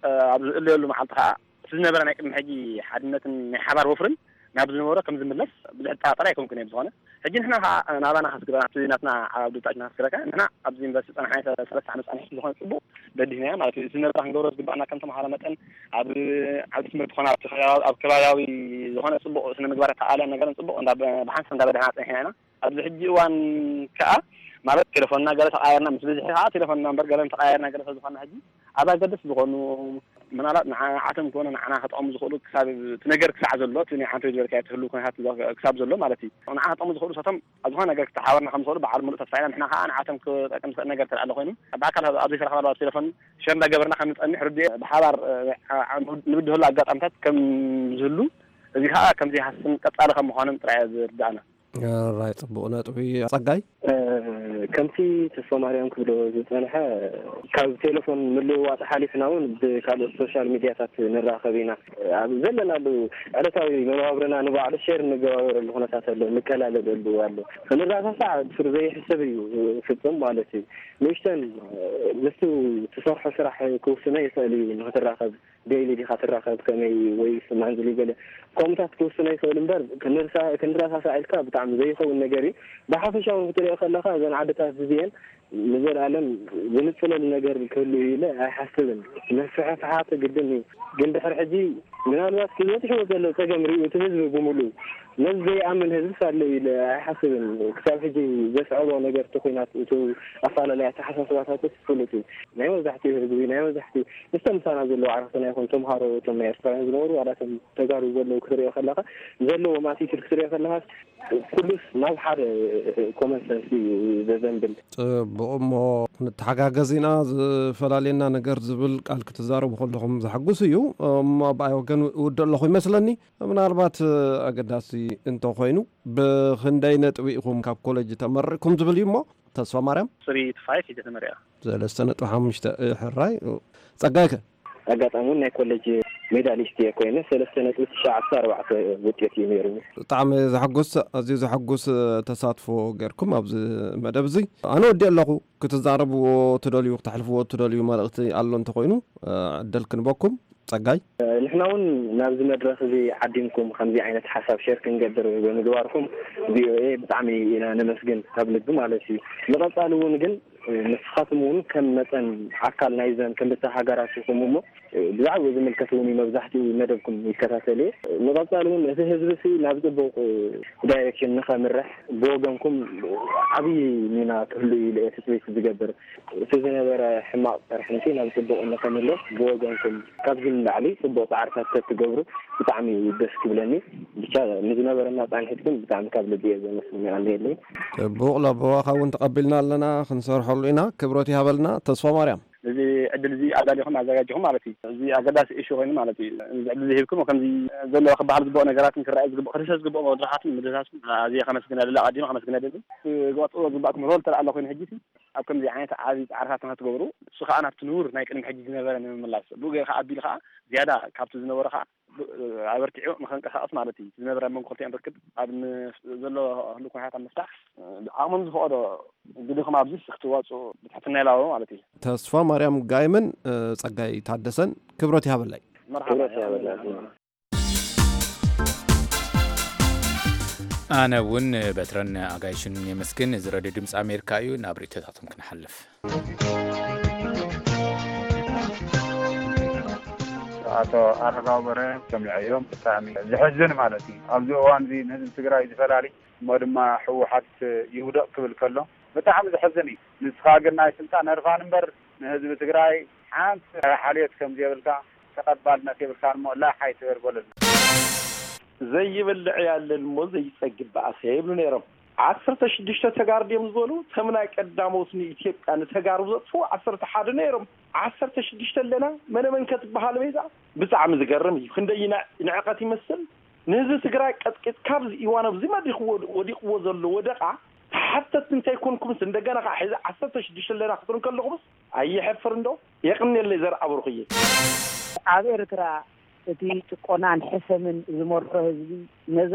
ኣብዚ እለየሉ መዓልቲ ከዓ እቲ ዝነበረ ናይ ቅድሚ ሕጂ ሓድነትን ናይ ሓባር ወፍርን ናብ ዝነበሮ ከም ዝምለስ ብዙሕ ጠራጠር ኣይኮንኩን እየ። ብዝኾነ ሕጂ ንሕና ከዓ ናባና ከስግረና ኣብቲ ናትና ዓብ ድብታችና ከስግረካ ንሕና ኣብዚ ዩኒቨርሲቲ ፀናሕና ሰለስተ ዓመት ፀኒሒ ዝኾነ ፅቡቕ በዲህናዮ ማለት እዩ። እቲ ዝነበረ ክንገብሮ ዝግባእና ከም ተምሃሮ መጠን ኣብ ዓውዲ ትምህርቲ ኮነ ኣብቲ ከባቢ- ኣብ ከባቢያዊ ዝኾነ ፅቡቕ ስነ ምግባር ተኣልያን ነገርን ፅቡቕ እንዳ- ብሓንሳብ እንዳበደህና ፀኒሕና ኢና። ኣብዚ ሕጂ እዋን ከዓ ማለት ቴሌፎንና ገለ ተቃየርና ምስ ብዝሒ ከዓ ቴሌፎንና እምበር ገለ ተቃየርና ገለ ስለዝኾና ሕጂ ኣብ ኣገደስቲ ዝኾኑ ምናልባት ንዓዓቶም ኮነ ንዓና ከጥቐሙ ዝኽእሉ ክሳብ እቲ ነገር ክሳዕ ዘሎ እቲ ናይ ዓንቶ ዝበልካዮ ትህሉ ኩነታት ክሳብ ዘሎ ማለት እዩ ንዓ ከጥቐሙ ዝኽእሉ ሰቶም ኣብ ዝኾነ ነገር ክተሓበርና ከም ዝኽእሉ በዓል ሙሉእ ተስፋ ኢና ንሕና ከዓ ንዓቶም ክጠቅም ዝኽእል ነገር ተደኣ ኣሎ ኮይኑ ብኣካል ኣብ ዘይተረኽባሉ ኣብ ቴሌፎን ሸር እንዳገበርና ከም ንጸንሕ ርድእ ብሓባር ንብድሀሉ ኣጋጣሚታት ከም ዝህሉ እዚ ከዓ ከም ዘይሃስን ቀጻሊ ከም ምዃኑን ጥራይ ዝርድኣና። ራይ ፅቡቕ ነጥቢ ጸጋይ። ከምቲ ተስፋማርያም ክብሎ ዝጸንሐ ካብ ቴሌፎን ምልውዋጥ ሓሊፍና እውን ብካልኦት ሶሻል ሚድያታት ንራኸብ ኢና። ኣብ ዘለናሉ ዕለታዊ መነባብሮና ንባዕሉ ሼር እንገባበረሉ ኩነታት ኣሎ፣ ንቀላለደሉ ኣሎ። ክንረሳሳዕ ብሱሩ ዘይሕሰብ እዩ ፍጹም ማለት እዩ። ንእሽተን ምስቱ ትሰርሖ ስራሕ ክውስኖ ይኽእል እዩ ንክትራኸብ ዴይሊ ዲኻ ትራኸብ ከመይ ወይ ማንዝሊ ገለ ከምኡታት ክውስኖ ይኽእል እምበር ክንረሳሳዕ ኢልካ ብጣዕሚ ዘይኸውን ነገር እዩ። ብሓፈሻ እውን ክትሪኦ ከለኻ እዘን ዓድታት እዚአን ንዘለኣለም ዝንፅለሉ ነገር ክህሉ እዩ ኢለ ኣይሓስብን። ምፍሕፍሓት ግድን እዩ። ግን ድሕሪ ሕጂ ምናልባት ክበፅሕዎ ዘሎ ፀገም ሪኡ እቲ ህዝቢ ብምሉእ ነዚ ዘይኣምን ህዝብስ ኣሎ ኢለ ኣይሓስብን። ክሳብ ሕጂ ዘስዐቦ ነገር እቲ ኲናት እቲ ኣፈላለየ ኣተሓሳስባታትስ ፍሉጥ እዩ። ናይ መብዛሕትኡ ህዝቢ ናይ መብዛሕትኡ ምስቶም ምሳና ዘለዉ ዓርክትና ይኹን ተምሃሮ እቶም ናይ ኤርትራውያን ዝነበሩ ዋላ እቶም ተጋሩ ዘለዉ ክትሪኦ ከለኻ ዘለዎም ኣቲቱድ ክትሪኦ ከለኻስ ኩሉስ ናብ ሓደ ኮመን ሰንስ እዩ ዘዘንብል። ጽቡቕ እሞ ክንተሓጋገዝ ኢና ዝፈላልየና ነገር ዝብል ቃል ክትዛረቡ ከለኹም ዘሐጉስ እዩ እሞ ብኣይ ወገን እውድእ ኣለኹ ይመስለኒ ምናልባት ኣገዳሲ እንተኾይኑ ብኽንደይ ነጥቢ ኢኹም ካብ ኮለጅ ተመሪቕኩም ዝብል እዩ እሞ ተስፋ ማርያም። ስሪ ቱ ፋይፍ ሒዘ ተመሪቐ። ሰለስተ ነጥቢ ሓሙሽተ። ሕራይ ጸጋይከ? ኣጋጣሚ እውን ናይ ኮሌጅ ሜዳሊስት እየ ኮይነ ሰለስተ ነጥቢ ትሽዓተ ኣርባዕተ ውጤት እዩ ነይሩ። ብጣዕሚ ዘሐጉስ ኣዝዩ ዘሐጉስ ተሳትፎ ጌርኩም ኣብዚ መደብ እዚ ኣነ ወዲእ ኣለኹ ክትዛረብዎ ትደልዩ ክተሕልፍዎ ትደልዩ መልእኽቲ ኣሎ እንተኮይኑ ዕድል ክንበኩም ጸጋይ። ንሕና እውን ናብዚ መድረኽ እዚ ዓዲምኩም ከምዚ ዓይነት ሓሳብ ሸር ክንገብር ብምግባርኩም ቪኦኤ ብጣዕሚ ኢና ነመስግን ካብ ልቢ ማለት እዩ። ንቐፃሊ እውን ግን ንስኻትም እውን ከም መጠን ኣካል ናይዘን ክልተ ሃገራት ኢኹም እሞ ብዛዕባኡ ዝምልከት እውን እዩ መብዛሕትኡ መደብኩም ይከታተል እየ። ንቐፃሊ እውን እቲ ህዝቢ ሲ ናብ ፅቡቕ ዳይሬክሽን ንኸምርሕ ብወገንኩም ዓብዪ ሚና ክህሉ እዩ ኢለ እየ ትፅቢት ዝገብር። እቲ ዝነበረ ሕማቕ ቅርሕንቲ ናብ ፅቡቕ ንኸምልስ ብወገንኩም ካብዚ ንላዕሊ ፅቡቕ ፃዕርታት ተትገብሩ ብጣዕሚ እዩ ደስ ክብለኒ። ብቻ ንዝነበረና ፃንሒት ግን ብጣዕሚ ካብ ልቢ እየ ዘመስግን። የቐንየለይ። ፅቡቕ ለበዋኻ እውን ተቐቢልና ኣለና ክንሰርሐሉ ኢና። ክብረት ይሃበልና ተስፋማርያም። እዚ ዕድል እዚ ኣዳሊኹም ኣዘጋጅኹም ማለት እዩ። እዚ ኣገዳሲ ኢሹ ኮይኑ ማለት እዩ። እዚ ዕድል እዚ ሂብኩም ከምዚ ዘለዎ ክበሃል ዝግብኦ ነገራትን ክረኣዩ ዝግብኦ ክድህሰስ ዝግብኦ መድረኻትን ምድህሳስኩም ኣዝየ ከመስግን እደሊ ኣቐዲመ ከመስግን እደሊ። ክወፅዎ ዝግባእኩም ሮል ተደኣ ኣሎ ኮይኑ ሕጂ ኣብ ከምዚ ዓይነት ዓብዪ ፃዕርታት ንክትገብሩ እሱ ከዓ ናብቲ ንቡር ናይ ቅድሚ ሕጂ ዝነበረ ንምምላስ ብኡ ገይርካ ኣቢሉ ከዓ ዝያዳ ካብቲ ዝነበሮ ከዓ ኣበርቲዑ ንኸንቀሳቐስ ማለት እዩ። ዝነበረ መንኮ ክልቲኦም ርክብ ኣብ ን-፣ ዘሎ ህሉ ኩነታት ኣብ ምፍታሕ ዓቕሞም ዝፈቐዶ ብድኹም ኣብዚ ክትዋፅኡ ብትሕትና ይላቦ ማለት እዩ። ተስፋ ማርያም ጋይምን ጸጋይ ታደሰን ክብረት ይሃበላይ። መርሓባ። ክብረት ይሃበላይ። ኣነ እውን በትረን ኣጋይሽን የመስግን። እዚ ረድዮ ድምፂ ኣሜሪካ እዩ። ናብ ርእይቶታቶም ክንሓልፍ። ኣቶ ኣረጋዊ በርሀ ሰሚዐዮም። ብጣዕሚ ዘሕዝን ማለት እዩ። ኣብዚ እዋን እዚ ንህዝቢ ትግራይ ዝፈላሊ እሞ ድማ ህወሓት ይውደቕ ክብል ከሎ ብጣዕሚ ዘሕዝን እዩ። ንስኻ ግን ናይ ስልጣን ህርፋን እምበር ንህዝቢ ትግራይ ሓንቲ ሓልዮት ከም ዘየብልካ ተቐባልነት የብልካን እሞ ላሕ ኣይትበል በለሉ። ዘይበልዕ ያለን እሞ ዘይጸግብ በኣሰ ይብሉ ነይሮም። ዓሰርተ ሽዱሽተ ተጋሩ ድዮም ዝበሉ? ከም ናይ ቀዳሞት ንኢትዮጵያ ንተጋሩ ዘጥፍኡ ዓሰርተ ሓደ ነይሮም። ዓሰርተ ሽዱሽተ ኣለና፣ መነ መን ከ ትበሃል በይዛ? ብጣዕሚ ዝገርም እዩ። ክንደይ ይንዕ-፣ ይንዕቀት ይመስል። ንህዝቢ ትግራይ ቀጥቂጥ ካብዚ እዋን ኣብዚ መድሪኽ ወድ-፣ ወዲቕዎ ዘሎ ወደቓ ተሓተትቲ እንተይኮንኩምስ እንደገና ከዓ ሕዚ ዓሰርተ ሽዱሽተ ኣለና ክትብሉ ከለኹምስ ኣየሕፍር እንዶ? የቕንየለይ ዘርኣ ብሩኽዬ። ኣብ ኤርትራ እቲ ጭቆናን ሕሰምን ዝመርሖ ህዝቢ ነዛ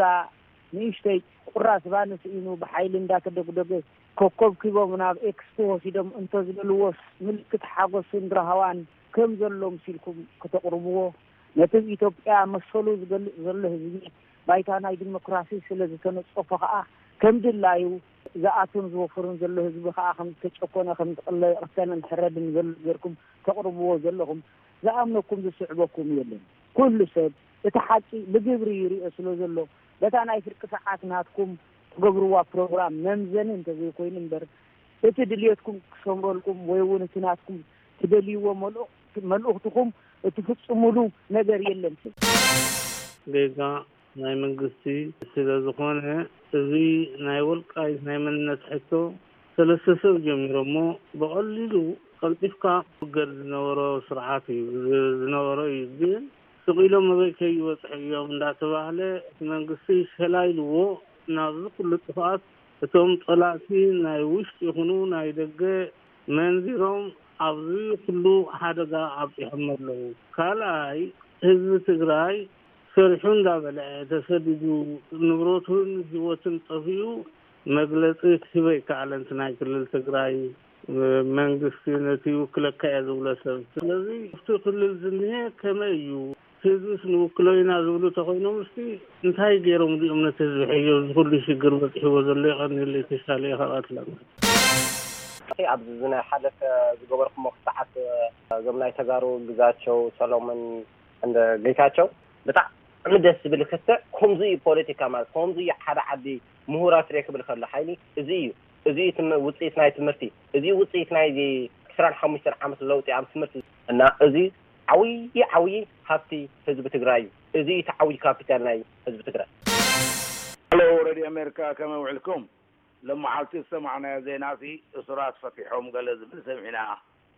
ንእሽተይ ቁራስ ባኒ ስኢኑ ብሓይሊ እንዳተደጉደገ ኮከብ ኪቦም ናብ ኤክስፖ ወሲዶም እንተዝልልዎስ ምልክት ሓጎስን ራህዋን ከም ዘሎ ምሲልኩም ከተቕርብዎ፣ ነቲ ኣብ ኢትዮጵያ መሰሉ ዝገልጽ ዘሎ ህዝቢ ባይታ ናይ ዲሞክራሲ ስለ ዝተነጸፎ ከኣ ከም ድላዩ ዝኣቱን ዝወፍርን ዘሎ ህዝቢ ከኣ ከም ዝተጨኮነ፣ ከም ዝቕለ፣ ይቕተልን ሕረድን ዘሎ ጌርኩም ተቕርብዎ ዘለኹም ዝኣምነኩም ዝስዕበኩም የለን። ኩሉ ሰብ እቲ ሓቂ ብግብሪ ይሪኦ ስለ ዘሎ በታ ናይ ፍርቂ ሰዓት ናትኩም ትገብርዋ ፕሮግራም መምዘኒ እንተዘይኮይኑ እምበር እቲ ድልየትኩም ክሰምረልኩም ወይ እውን እቲ ናትኩም ትደልይዎ መልእኽ-፣ መልእኽትኹም እትፍጽሙሉ ነገር የለን። ጌጋ ናይ መንግስቲ ስለ ዝኾነ፣ እዚ ናይ ወልቃይት ናይ መንነት ሕቶ ሰለስተ ሰብ ጀሚሮሞ ብቐሊሉ ቀልጢፍካ ክውገድ ዝነበሮ ስርዓት እዩ፣ ዝ-፣ ዝነበሮ እዩ። ግን ስቕ ኢሎም ኣበይ ከይበጽሑ እዮም እንዳተባህለ እቲ መንግስቲ ሸላኢልዎ ናብዚ ኩሉ ጥፍኣት እቶም ጸላእቲ ናይ ውሽጢ ይኹኑ ናይ ደገ መንዚሮም ኣብዚ ኩሉ ሓደጋ ኣብጺሖሞ ኣለዉ። ካልኣይ ህዝቢ ትግራይ ሰሪሑ እንዳበልዐ ተሰዲዱ ንብረቱን ህይወቱን ጠፊኡ መግለጺ ክህብ ኣይከኣለን። እቲ ናይ ክልል ትግራይ መንግስቲ ነቲ ይውክለካ እየ ዝብሎ ሰብ። ስለዚ ኣብቲ ክልል ዝኒሀ ከመይ እዩ? ህዝብስ ንውክሎ ኢና ዝብሉ ተኾይኖም እስቲ እንታይ ገይሮም ድዮም ነቲ ህዝቢ ሕዮ እዚ ኩሉ ሽግር በፂሕዎ ዘሎ? የቐንየለይ ተሻለ እየ ካብ ኣትላንታ። ኣብዚ ናይ ሓለፈ ዝገበርኩሞ ክሰዓት እዞም ናይ ተጋሩ ግዛቸው ሰሎሞን እንደ ጌታቸው ብጣዕሚ ደስ ዝብል ክትዕ። ከምዚ እዩ ፖለቲካ ማለት፣ ከምዚ እዩ ሓደ ዓዲ ምሁራት ርኤ ክብል ከሎ ሓይሊ እዚ እዩ። እዚ እዩ ትም-፣ ውፅኢት ናይ ትምህርቲ፣ እዚ እዩ ውፅኢት ናይ ዕስራን ሓሙሽተን ዓመት ለውጢ ኣብ ትምህርቲ እና እዚ ዓብዪ ዓብዪ ሃብቲ ህዝቢ ትግራይ እዩ። እዚ እዩ እቲ ዓብዪ ካፒታል ናይ ህዝቢ ትግራይ። ሄሎ ሬድዮ ኣሜሪካ፣ ከመይ ውዕልኩም? ሎመዓልቲ ዝሰማዕናዮ ዜና ሲ እሱራት ፈቲሖም ገለ ዝብል ሰሚዕና።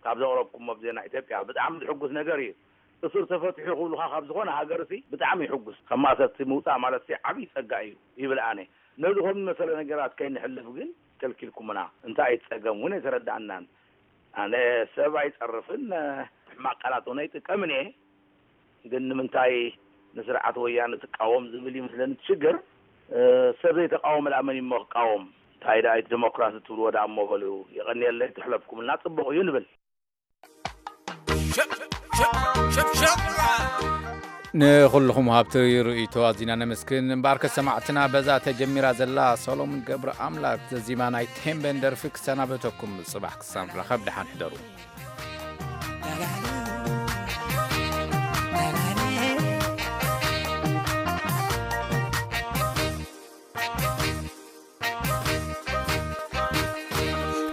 ካብ ዘቕረብኩሞ ኣብ ዜና ኢትዮጵያ ብጣዕሚ ዝሕጉስ ነገር እዩ። እሱር ተፈቲሑ ክብሉኻ ካብ ዝኾነ ሃገር ሲ ብጣዕሚ ይሕጉስ። ካብ ማእሰርቲ ምውፃእ ማለት ሲ ዓብዪ ፀጋ እዩ ይብል ኣነ። ነዚ ከም ዝመሰለ ነገራት ከይንሕልፍ ግን ከልኪልኩምና። እንታይ እዩ እቲ ፀገም እውን ኣይተረዳእናን። ኣነ ሰብ ኣይፀርፍን፣ ሕማቕ ቃላት እውን ኣይጥቀምን እየ። ግን ንምንታይ ንስርዓት ወያነ ትቃወም ዝብል ይመስለኒ እቲ ሽግር። እ፣ ሰብ ዘይተቃወመ ደኣ መን እዩ እሞ ክቃወም? እንታይ ደኣ እቲ ዲሞክራሲ ትብልዎ ደኣ እሞ በሉ። የቐንየለይ፣ ተሕለፍኩምልና ጽቡቕ እዩ ንብል። ንኹልኹም ሃብቲ ርእይቶ ኣዚና ነመስግን። እምበኣርከ ሰማዕትና በዛ ተጀሚራ ዘላ ሰሎሙን ገብረ ኣምላክ ዘዚማ ናይ ቴምቤን ደርፊ ክሰናበተኩም። ጽባሕ ክሳብ ንራኸብ ደሓን ሕደሩ።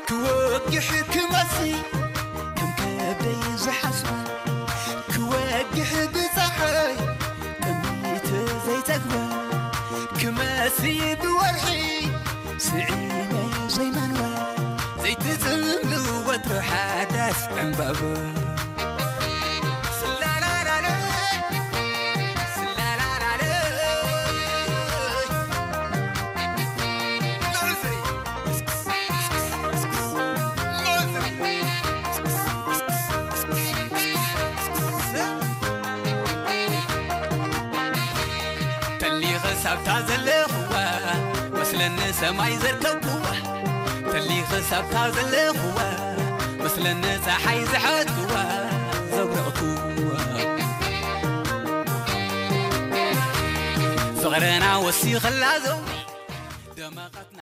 ክወግሕ ክመሲ ከም ከብደይ ዝሓስብ ክወግሕ ብፀሓይ ጥሚት ዘይጠግበ ክመሲ ብወርሒ ስዒመ ዘይመንወ ዘይትፅልም ወትሩ ሓዳስ ዕምባባ ሳብታ ዘለኹዋ መስለኒ ሰማይ ዘርከብኩዋ፣ ተሊኸ ሳብታ ዘለኹዋ መስለኒ ፀሓይ ዝሓትኩዋ፣ ዘብረቕኩዋ። ፍቕርና ወሲኸላ ዘውዲ ደመቐትና።